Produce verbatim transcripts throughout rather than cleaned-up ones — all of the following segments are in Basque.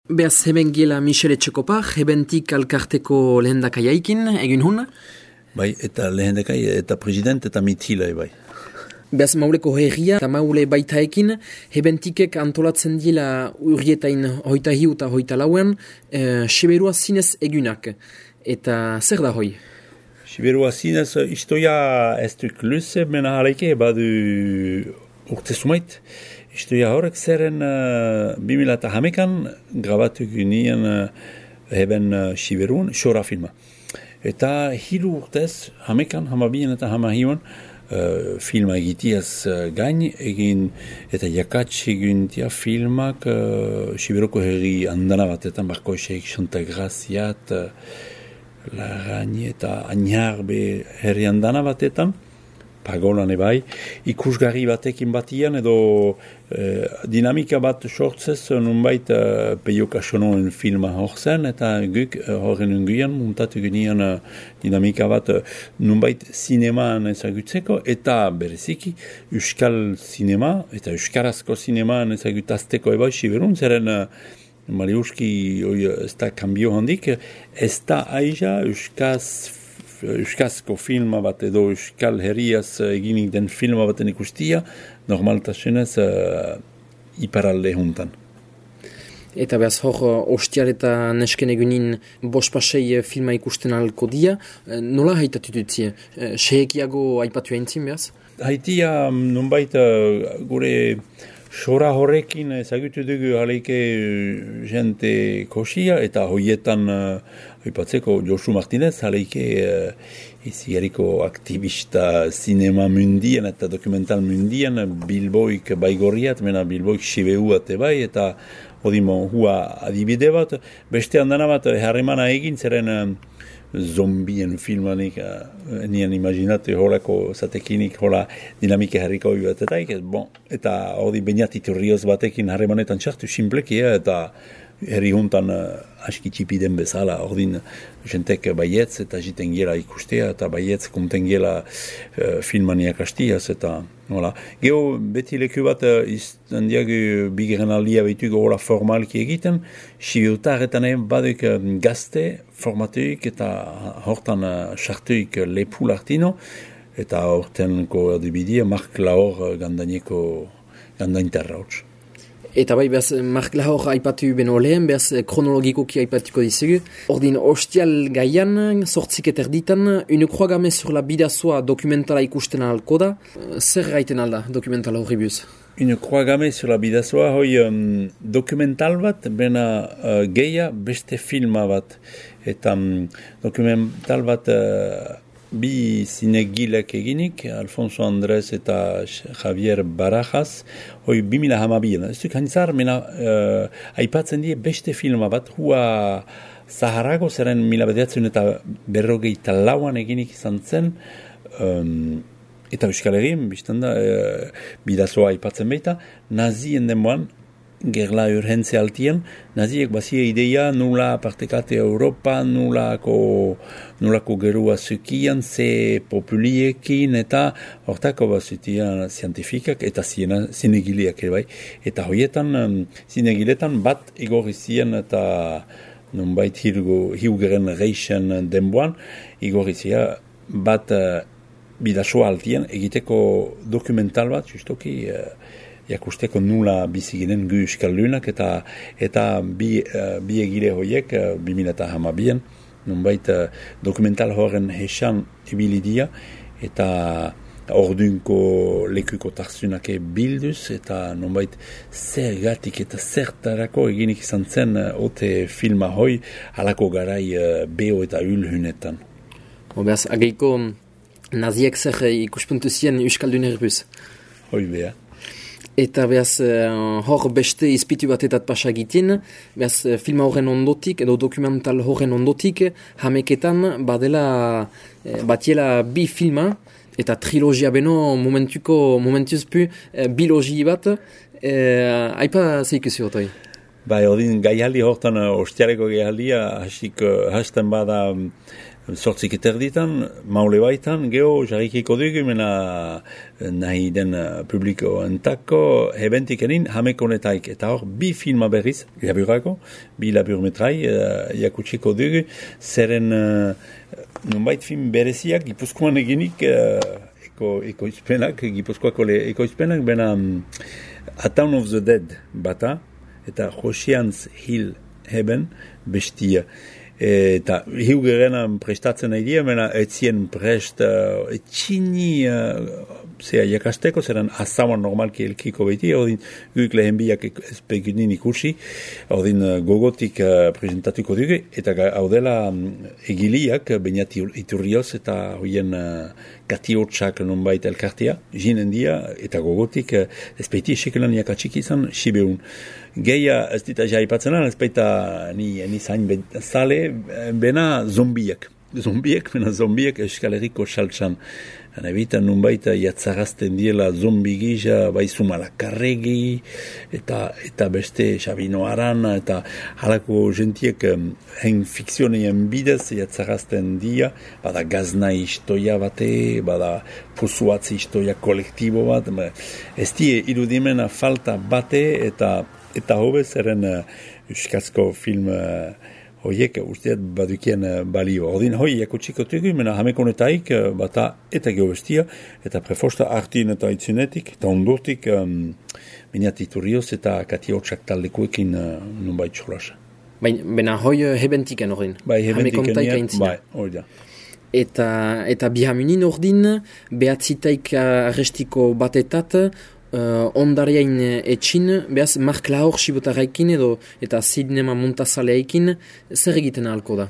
Beaz, heben gila Michele Txekopa, hebentik alkarteko lehendakaiaikin, egin hun? Bai, eta lehendakai, eta president, eta mitila, bai. Beaz, mauleko herria, eta maule baitaekin, hebentikek antolatzen dila urrietain hoita hiu eta hoita lauen, e, Siberua zinez egunak. Eta zer da hoi? Siberua zinez, istoia ez duk luze, mena halaike, badu urte sumait. Istoia horrek zeren uh, bimila eta hamekan grabatu gynien uh, heben uh, Siberuan, xora filma. Eta hiru urtez, hamekan, hamabien eta hamahiuan, uh, filma egitiaz uh, gain, egin eta jakatz egin tia filmak uh, Siberuko herri andana batetan, barko eseik Santa Graziat, uh, Larrañi eta Añarbe herri andana batetan, pagolan ebai, ikusgarri batekin batian edo eh, dinamika bat sortzez nunbait eh, Peio Kasonoen filma horzen eta guk eh, horren unguian muntatu genian eh, dinamika bat eh, nunbait sinemaan ezagutzeko eta bereziki euskal sinema eta euskarazko sinemaan ezagutazteko ebai Siberun, zeren eh, Mariuski ez da kambio handik, ez da aiza euskaz euskazko filma bat edo euskal herriaz eginik den filma baten ikustia, normaltasunez uh, iparalde juntan. Eta behaz hor, ostiar eta nesken egunin bospasei filma ikusten alko dia, nola haitatu dutzi? Sehekiago aipatu eintzin behaz? Haitia, nonbait uh, gure xora horrekin ezagutu dugu haleike jente kosia eta hoietan uh, aipatzeko Josu Martinez haleike uh, izigariko aktivista sinema mundian eta dokumental mundian Bilboik baigorriat, mena Bilboik Sibeuat ebai eta odimo hua adibide bat, beste handana bat harremana egin zeren uh, zombien filmanik, uh, nien imaginate holako zatekinik, hola dinamike harriko bat eta ikez, bon, eta hori bainatiturrioz batekin harremanetan txartu simplekia eta herri juntan uh, aski txipiden bezala, ordin jentek baietz eta jiten gela ikustea eta baietz konten gela uh, filmaniak astiaz eta hola. Geo beti leku bat uh, izan diagu bigeren aldia behitugu hola formalki egiten, Sibiutarretan egin baduk uh, gazte formatuik eta hortan sartuik uh, lepu lartino eta hortenko erdibidia Mark Lahor uh, gandaineko gandainterra hotz. Eta bai, behaz, Mark Lahor aipatu beno lehen, behaz, kronologikoki aipatuko dizugu. Ordin, ostial gaian, sortzik eterditan, une croix gammée sur la bidazoa dokumentala ikusten alko da. Zer gaiten alda dokumentala horri buz? Une croix gammée sur la bidazoa, hoi um, dokumental bat, bena uh, geia beste filma bat. Eta um, dokumental bat uh, bi zinegilek eginik, Alfonso Andrés eta Javier Barajas, hoi bimila hamabien. Ez duk hantzar, mena uh, aipatzen die beste filma bat, hua Zaharago zeren mila bedertzen eta berrogeita lauan eginik izan zen, um, eta Euskal Herrien, biztan da, uh, bidazoa aipatzen baita, nazien denboan, gerla urgentze altien, naziek bazia ideia nula partekate Europa, nulako, nulako gerua zukian, ze populiekin, eta hortako bazutian zientifikak eta zinegiliak ere bai. Eta hoietan, um, zinegiletan bat igorri zien eta nonbait hiugeren reixen denboan, igorri zia bat uh, bidasoa altien egiteko dokumental bat, justoki, uh, jakusteko nula biziginen gu euskaldunak eta eta bi, uh, bi egile hoiek uh, bi mila hamabien nonbait uh, dokumental horren hesan ebilidia eta ordunko lekuko tarsunake bilduz eta nonbait zergatik eta zertarako eginik izan zen uh, ote filma hoi halako garai uh, beho eta ulhunetan. Beaz, ageiko naziek zer ikuspuntu zien euskaldun erbuz? Hoi beha. Eta behaz, uh, hor beste izpitu batetat pasagitien, behaz, filma horren ondotik, edo dokumental horren ondotik, hameketan badela, eh, batiela bi filma, eta trilogia beno momentuko, momentuzpu, eh, bilogi bat, eh, aipa zeikuzi otoi? Bai, odin gaialdi hortan, ostiareko gaialdia, hasik, hasten bada sortzik eterditan, maule baitan, geho, jarrikiko dugu, mena nahi den publiko entako, hebentik enin, hamekonetaik, eta hor, bi filma berriz, laburako, bi laburmetrai, uh, jakutsiko dugu, zeren, uh, nonbait film bereziak, Gipuzkoan eginik, uh, eko, ekoizpenak, Gipuzkoako ekoizpenak, bena um, A Town of the Dead bata, eta Ocean's Hill Heaven bestia. Eta hiu gerenan prestatzen nahi dira, mena etzien prest uh, etxini uh, zera jakasteko, zeran azaman normalki elkiko beti, odin guk lehen biak espeginin ikusi, odin uh, gogotik uh, presentatuko dugu, eta hau dela um, egiliak, bainat iturrioz eta hoien uh, katiotsak nonbait elkartia, jinen dia, eta gogotik uh, ezpeiti esekelan jakatsik izan, sibeun. Geia ez dita jaipatzen lan, ez baita ni, ni zain zale, bena zombiak. Zombiak, bena zombiak Euskal Herriko saltsan. Nebita nunbait jatzarazten diela zombi gisa, bai Zumalakarregi, eta, eta beste Sabino Arana, eta halako gentiek hein fikzionean bidez jatzarazten dia, bada gazna istoia bate, bada pozuatzi istoia kolektibo bat, ez die irudimena falta bate, eta eta hobe zeren uh, euskazko film uh, hoiek usteat badukien uh, balio. Ordin hoi jakutsiko tugu, mena hamekonetaik uh, bata eta geobestia, eta prefosta artin eta itzunetik, eta ondortik um, miniat iturrioz eta katiotsak taldekuekin uh, nunbait txolasa. Baina hoi hebentiken ordin? Bai, hebentiken nien, bai, hori da. Eta, eta bihamunin ordin, behatzitaik arrestiko batetat, Uh, ondariain etxin, behaz, Mark Lahor sibotarraikin edo eta zinema montazaleaikin, zer egiten ahalko da?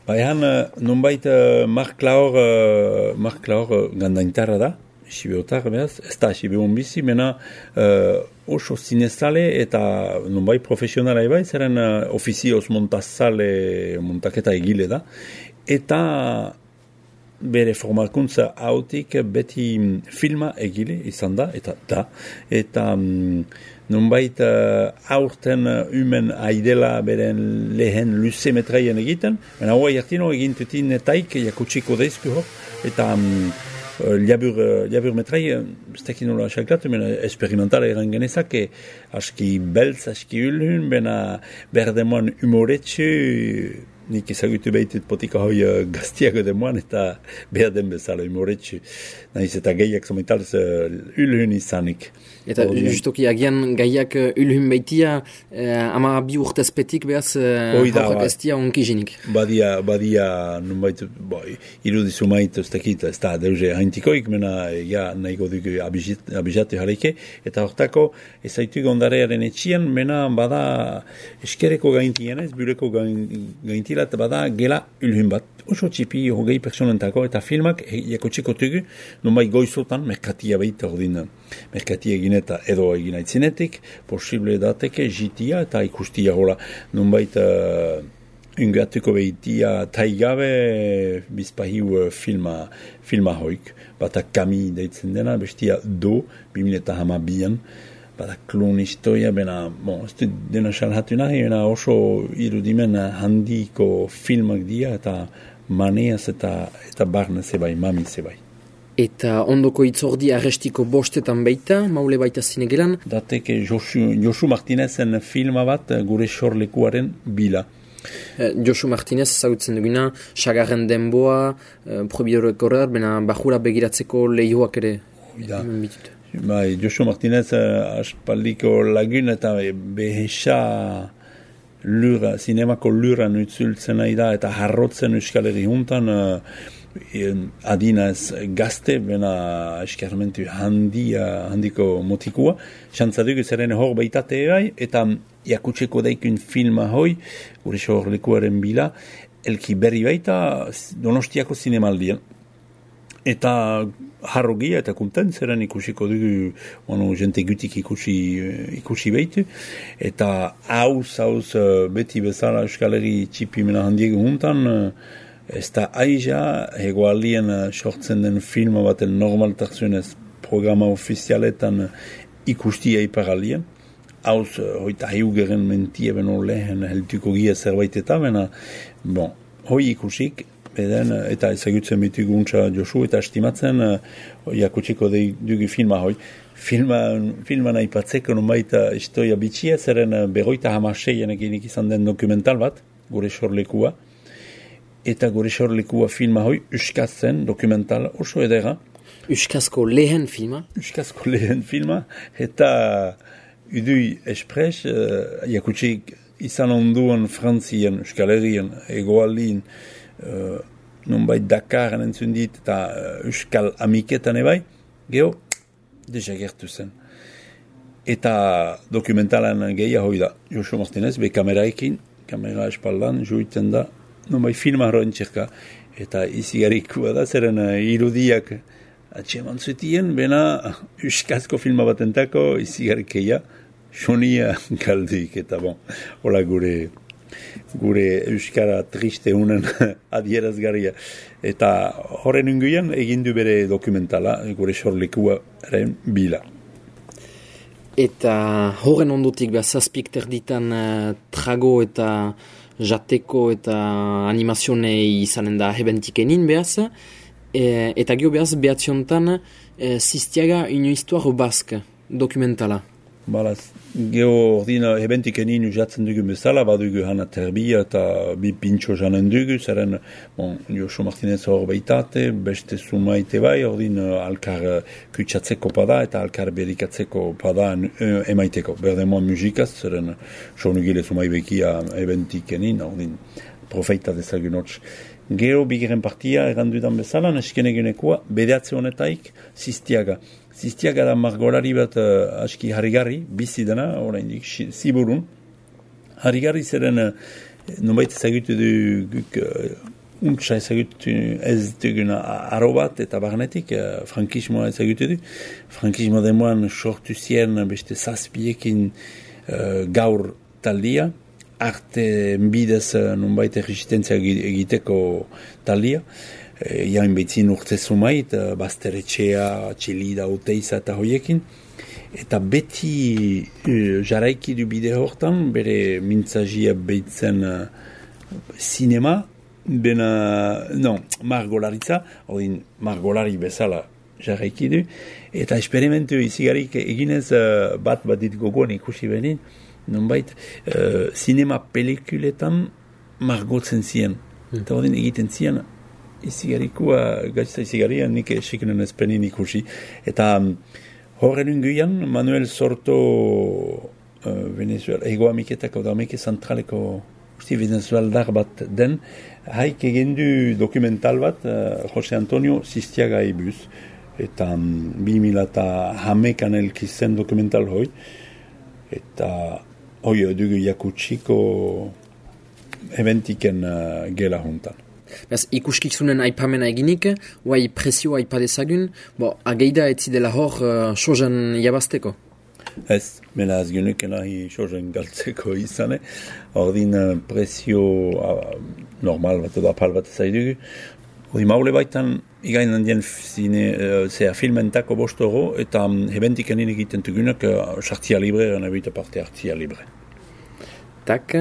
Baina, nonbait uh, Mark Lahor, uh, Mark Lahor uh, gandaintarra da, sibotar, behaz, ez da sibeon bizi, mena uh, oso zinezale eta nonbait profesionala ebai, zeren uh, ofizioz montazale montaketa egile da, eta bere formakuntza hautik beti filma egile izan da, eta da, eta um, nonbait uh, aurten uh, umen aidela beren lehen luze metraien egiten, baina hoa jartino egintutin etaik jakutsiko deizku hor, eta um, labur, labur metrai, ez tekin nola xaklatu, baina experimentala eran genezak, aski beltz, aski ulhun, baina berdemoan humoretsu, nik ezagutu behitut potika hoi uh, gaztiago demoan eta behar den bezala humoretsu. Nahiz eta gehiak zometalz uh, ulhun izanik. Eta oh, justoki agian gaiak uh, ulhun behitia uh, ama bi urtezpetik behaz uh, horrek ez dia onkizinik. Badia, badia nunbait, boi, irudizu mait ez dakit, ez da deuze haintikoik, mena ja nahigo dugu abizatu jareke, eta hortako ezaitu gondarearen etxian, mena bada eskereko gaintien ez, bureko gaintien eta bada gela ulhun bat. Oso txipi hogei personentako eta filmak jakotsiko tugu, nonbait goizotan, merkatia behita ordin, merkatia egin eta edo egin aitzinetik, posible dateke jitia eta ikustia hola, nonbait uh, ungatuko behitia taigabe bizpahiu uh, filma, filma hoik, bata kami deitzen dena, bestia do, bimile eta hamabian, bada klon historia, bena, bon, ez du dena salhatu nahi, bena oso irudimen handiko filmak dia, eta maneaz eta, eta barne zebai, mami zebai. Eta ondoko itzordi arrestiko bostetan baita, maule baita zinegelan? Dateke Josu, Josu Martinezen filma bat gure sorlekuaren bila. Eh, Josu Martinez zautzen duguna, sagarren denboa, eh, probidoreko horret, bena bajura begiratzeko lehioak ere. Oida. Bai, Josu Martinez uh, aspaldiko lagun eta behesa lura, zinemako lura nutzultzen nahi da eta harrotzen Euskal Herri juntan uh, adina ez gazte, bena eskarmentu handia, handiko motikua. Xantzaduk zeren hor baitate erai, eta jakutseko daikun filma hoi, gure sorlekuaren bila, elki berri baita Donostiako zinemaldian. Eta harrogia eta kontent zeren ikusiko dugu, bueno, jente gutik ikusi, ikusi behitu. Eta hauz, hauz, beti bezala Euskal Herri txipimena handiego juntan, ez da aiza, hegoaldien sortzen den filma baten normaltasunez programa ofizialetan ikustia iparaldien. Hauz, hoita hiugeren mentie beno lehen helduko gia zerbait eta, bena, bon, hoi ikusik, beden, eta ezagutzen bituguntza Josu, eta estimatzen, uh, jakutsiko dugu filma hoi. Filman, filman aipatzeko nonbait historia bitxia, zeren berroita hamaseianekin izan den dokumental bat, gure sorlekua, eta gure sorlekua filma hoi, euskazten dokumental oso edera. Euskazko lehen filma? Euskazko lehen filma, eta Udui Espres, uh, jakutsik izan onduan Frantzien, Euskal Herrien, Egoaldin, uh, nonbait Dakaren entzun dit, eta uh, Euskal Amiketan ebai, geho, deja gertu zen. Eta dokumentalan gehiago hoi da, Josu Martinez, be kameraekin, kamera espaldan, joiten da, nonbait filma horren txerka, eta izigarikua da, zeren uh, irudiak atxeman zutien, bena euskazko filma batentako izigarikeia, sonia galduik, eta bon, hola gure, gure euskara triste unen adierazgarria. Eta horren unguian egindu bere dokumentala, gure sorlekuaren bila. Eta horren ondotik behar zazpik terditan uh, trago eta jateko eta animazionei izanen da hebentikenin behaz, E, eta gio behaz behatziontan e, Zistiaga une histoire basque dokumentala. Balaz, geo ordina hebentikenin usatzen dugu bezala, badugu hana terbia eta bi pintxo janen dugu, zeren, bon, Josu Martinez hor beitate, beste sumaite bai, ordin alkar kutsatzeko pada eta alkar berikatzeko pada emaiteko. Berdemoan musikaz, zeren, sonugile sumai bekia hebentikenin, ordin profeita dezagun hotz. Gero bigeren partia erandudan bezala, nesken egunekoa, bedeatze honetaik, Zistiaga. Zistiaga da margolari bat uh, aski harrigarri, bizi dena, oraindik ziburun. Harrigarri zeren, uh, nonbait ezagutu du, guk, uh, untsa ezagutu ez dugun aro bat, eta barnetik, uh, frankismoa ezagutu du. Frankismo demoan sortu zien beste zazpiekin uh, gaur taldia, arte bidez nonbait resistentzia egiteko talia, e, jain betzin urte zumait, bazteretxea, txelida, uteiza eta hoiekin, eta beti e, jaraiki du bide hortan, bere mintzazia behitzen uh, sinema, bena, non, margolaritza, odin margolari bezala jaraiki du, eta esperimentu izigarik eginez uh, bat bat dit gogoan ikusi benin, nonbait, uh, sinema pelikuletan margotzen zien. Mm. Eta odin egiten zien, izigarikua, gaitza izigaria, nik esikenen ezpenin ikusi. Eta um, horren unguian, Manuel Sorto uh, Venezuela, ego amiketako da amike zentraleko usti venezueldar bat den, haik egendu dokumental bat, uh, Jose Antonio Zistiaga ebuz, eta um, bi mila eta hamekan elkizen dokumental hoi, eta hoi dugu jakutsiko eventiken uh, gela juntan. Bez, ikuskizunen aipamena eginik, guai presioa aipadezagun, bo, ageida etzi dela hor uh, sojan jabazteko? Ez, mena ez genuken ahi sojan galtzeko izane, ordin uh, presio uh, normal bat edo apal bat ezaidugu. Hori maule baitan, igain handien zine, uh, zera filmentako bostoro, eta um, hebentiken egiten tugunak, uh, sartzia libre, nebita parte hartzia libre. Tak,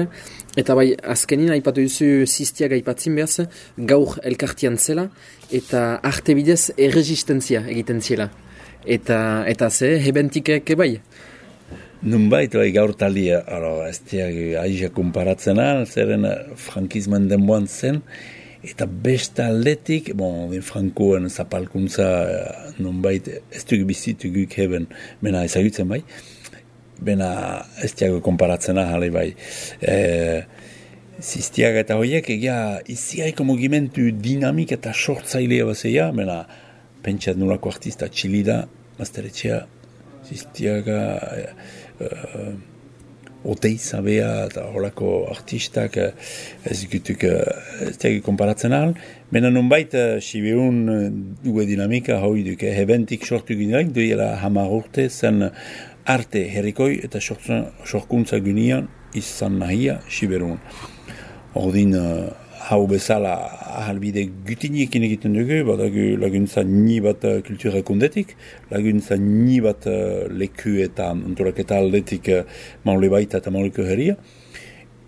eta bai, azkenin aipatu duzu Zistiaga aipatzin behaz, gaur elkartian zela, eta arte bidez erresistentzia egiten zela. Eta, eta ze, hebentikek bai? Nunbait, bai, gaur talia, ez diag aizia komparatzen al, zeren frankismen denboan zen, eta besta aldetik, bon, frankoen zapalkuntza, nunbait, ez dugu bizitu guk heben, mena ezagutzen bai, bena ez diago konparatzen ahale bai. E, Zistiaga eta horiek, egia iziaiko mugimentu dinamik eta sortzailea bazeia, bena pentsat nolako artista txilida, mazteretxea, Zistiaga, e, e, Oteiza bea eta holako artistak ez gutuk ez diago konparatzen ahal, bena nonbait sibeun dugu dinamika hoi duke, hebentik sortu gineak, duela hamar urte zen arte herrikoi eta sorkuntza gunean izan nahia siberun. Ordin uh, hau bezala ahalbide gutiniekin egiten dugu, badagu laguntza ni bat uh, kultura kundetik, laguntza ni bat uh, leku eta antolaketa aldetik uh, maule baita eta mauleko herria.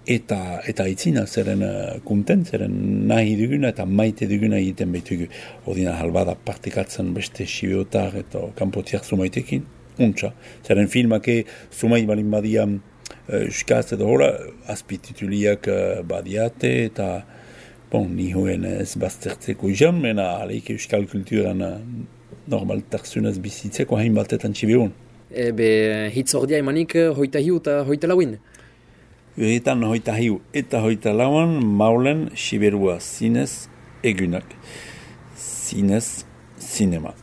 eta eta itzina, zeren uh, kunten, zeren nahi duguna eta maite duguna egiten behitugu. Odina halbada partikatzen beste sibeotar eta kanpotiak zumaitekin, untxa. Zeren filmake zumait balin badia euskaz edo hola, azpitituliak uh, badiate eta bon, nihoen ez baztertzeko izan, mena aleik euskal kulturan uh, normaltasunez bizitzeko hain batetan txibeon. Ebe hitz ordia emanik hoita hiu eta hoita lauin? Uretan hoita hiu eta hoita lauan maulen siberua zinez egunak. Zinez, zinema.